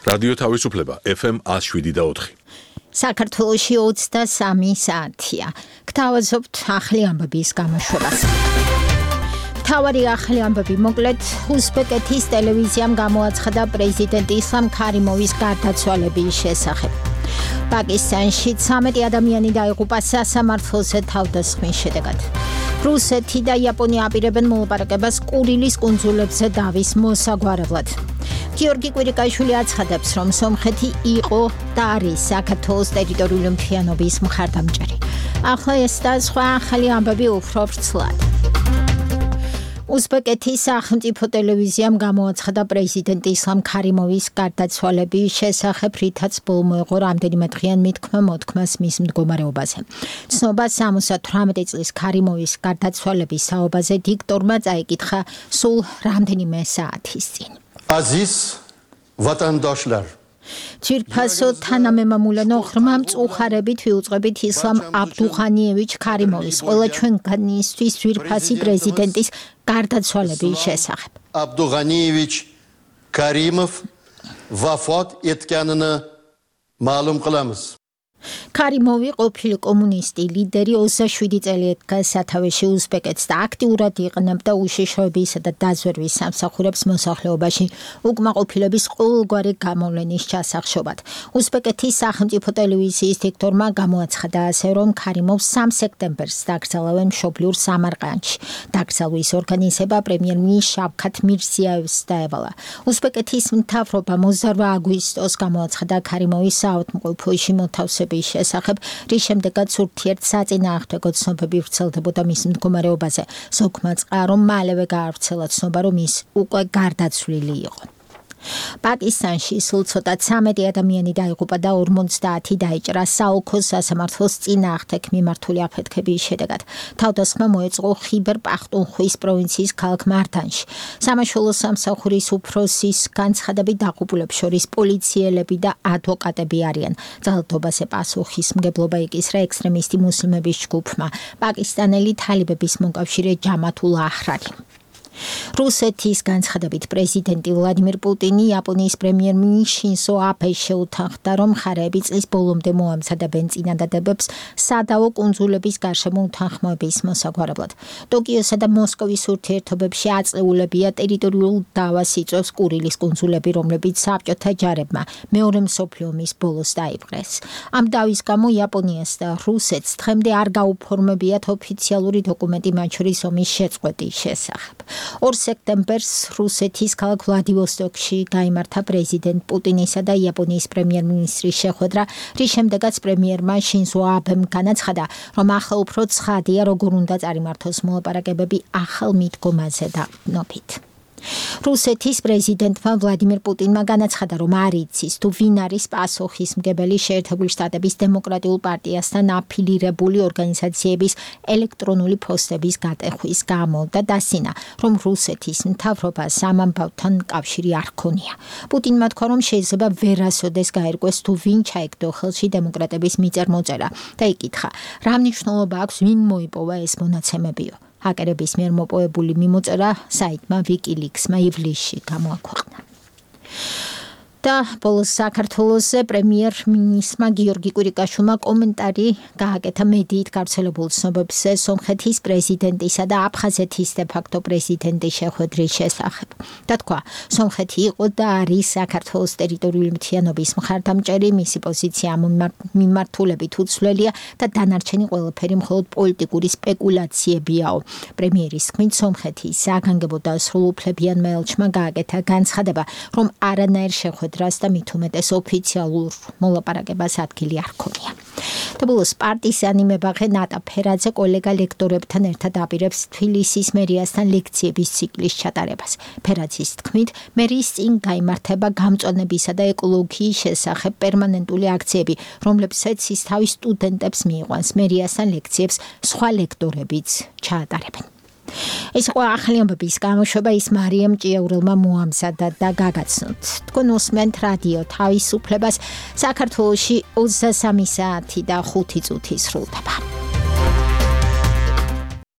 რადიო თავისუფლება FM 107.4. საქართველოში 23 საათია. გთავაზობთ ახალი ამბების გამოშვებას. მთავარი ახალი ამბები მოკლედ უზბეკეთის ტელევიზიამ გამოაცხადა პრეზიდენტ ისლამ ქარიმოვის გარდაცვალების შესახებ. პაკისტანში 13 ადამიანი დაიღუპა სასამართლოზე თავდასხმის შედეგად. რუსეთი და იაპონია აპირებენ მოლაპარაკებას კურილის კუნძულებზე დავის მოსაგვარებლად. გიორგი კვირიკაშვილი აცხადებს, რომ სომხეთი იყო და არის საქართველოს ტერიტორიული მთლიანობის მხარდამჭერი. ახლა ეს და სხვა ახალი ამბები უფრო ვრცლად. უზბეკეთის სახელმწიფო ტელევიზიამ გამოაცხადა პრეზიდენტ ისლამ ქარიმოვის გარდაცვალების შესახებ, რითაც ბოლო იყო რამდენიმე დღიან მოთქმას მის მდგომარეობაზე. ცნობა 78 წლის ქარიმოვის გარდაცვალების საუბაზე დიქტორმა წაიკითხა სულ რამდენიმე საათის წინ. Aziz vatandaşlar. Çirpaso თანამემამულენო ღრმა მწუხარებით ვიუწყებით ისლამ აბდუღანიევიჩ ქარიმოვის ყველა ჩვენგანისთვის ძვირფასი პრეზიდენტის გარდაცვალების შესახებ. Abdughanievich Karimov vafot etganini ma'lum qilamiz. ქარიმოვი ყოფილი კომუნისტი ლიდერი 27 წელი ედგა სათავეში უზბეკეთს და აქტიურად იყენებდა უშიშროებისა და დაზვერვის სამსახურებს მოსახლეობაში უკმაყოფილების ყოველგვარი გამოვლენის ჩასახშობად. უზბეკეთის სახელმწიფო ტელევიზიის დიქტორმა გამოაცხადა ასე, რომ ქარიმოვს 3 სექტემბერს დაკრძალავენ მშობლიურ სამარყანდში. დაკრძალვის ორგანიზება პრემიერ-მინისტრ შავქათ მირზიაევს დაევალა. უზბეკეთის მთავრობა 28 აგვისტოს გამოაცხადა ქარიმოვის საავადმყოფოში მოთავსების შესახებ, რის შემდეგაც ურთიერთსაწინააღმდეგო ცნობები ვრცელდებოდა მის მდგომარეობაზე. ზოგმა წყა, რომ მალევე გაავრცელა ცნობა, რომ ის უკვე გარდაცვლილი იყო. პაკისტანში სულ ცოტა 13 ადამიანი დაიღუპა და 50 დაიჭრა საოლქო სასამართლოს წინააღმდეგ მიმართული აფეთქების შედეგად. თავდასხმა მოეწყო ხიბერ პახტუნხვის პროვინციის ქალაქ მართანში. სამაშველო სამსახურის უფროსის განცხადებით დაღუპულებს შორის პოლიციელები და ადვოკატები არიან. ძალადობაზე პასუხისმგებლობა იკისრა ექსტრემისტი მუსლიმების ჯგუფმა, პაკისტანელი თალიბების მოკავშირე ჯამათულ აჰრარი. რუსეთის განცხადებით პრეზიდენტი ვლადიმირ პუტინი იაპონიის პრემიერ-მინისტრ შინზო აბეს შეუთანხმდა, რომ მხარეები წლის ბოლომდე მოამზადებენ წინადადებებს სადავო კუნძულების გარშემო უთანხმოების მოსაგვარებლად. ტოკიოსა და მოსკოვის ურთიერთობებში აწეულებია ტერიტორიულ დავას იწვევს კურილის კუნძულები, რომლებიც საბჭოთა ჯარებმა მეორე მსოფლიო ომის ბოლოს დაიპყრეს. ამ დავის გამო იაპონიას და რუსეთს დღემდე არ გაუფორმებიათ ოფიციალური დოკუმენტი მათ შორის ომის შეწყვეტის შესახებ. 2 სექტემბერს რუსეთის ქალაქ ვლადივოსტოკში გაიმართა პრეზიდენტ პუტინისა და იაპონიის პრემიერ-მინისტრის შეხვედრა, რის შემდეგაც პრემიერმა შინზო აბემ განაცხადა, რომ ახლა უფრო ცხადია, როგორ უნდა წარიმართოს მოლაპარაკებები ახალ მიდგომაზე და ნობით. რუსეთის პრეზიდენტმა ვლადიმირ პუტინმა განაცხადა, რომ არ იცის თუ ვინ არის პასუხისმგებელი შეერთებული შტატების დემოკრატიულ პარტიასთან აფილირებული ორგანიზაციების ელექტრონული ფოსტების გატეხვის გამო და დასცინა, რომ რუსეთის მთავრობას ამ ამბავთან კავშირი არ ჰქონია. პუტინმა თქვა, რომ შეიძლება ვერასოდეს გაერკვეს თუ ვინ ჩაიგდო ხელში დემოკრატების მიწერ-მოწერა და იკითხა, რა მნიშვნელობა აქვს ვინ მოიპოვა ეს მონაცემებიო. ჰაკერების მიერ მოპოვებული მიმოწერა საიტმა WikiLeaks-მა ივლისში გამოაქვეყნა. და ბოლოს საქართველოს პრემიერ-მინისტრმა გიორგი კვირიკაშვილმა კომენტარი გააკეთა მედიით გავრცელებულ ცნობებზე სომხეთის პრეზიდენტისა და აფხაზეთის დე-ფაქტო პრეზიდენტის შეხვედრის შესახებ. და თქვა, სომხეთი იყო და არის საქართველოს ტერიტორიული მთლიანობის მხარდამჭერი, მისი პოზიცია ამ მიმართულებით უცვლელია და დანარჩენი ყველაფერი მხოლოდ პოლიტიკური სპეკულაციებიაო. პრემიერის თქმით, სომხეთის საგანგებო და სრულუფლებიან ელჩმა გააკეთა განცხადება, რომ არანაირ შეხვედრას და მით უმეტეს ოფიციალურ მოლაპარაკებას ადგილი არ ჰქონია. და ბოლოს პარტიზანი მებაღე ნატა ფერაძე კოლეგა ლექტორებთან ერთად აპირებს თბილისის მერიასთან ლექციების ციკლის ჩატარებას. ფერაძის თქმით, მერის წინ გაიმართება გამწვანებისა და ეკოლოგიის შესახებ პერმანენტული აქციები, რომლებსაც ის თავის სტუდენტებს მიიყვანს. მერიასთან ლექციებს სხვა ლექტორებიც ჩაატარებენ. ეს იყო ახალი ამბების გამოშვება, ის მარიამ ჭიაურელმა მოამზადა და გაგაცნოთ. თქვენ უსმენთ რადიო თავისუფლებას, საქართველოში 23 საათი და 5 წუთი სრულდება.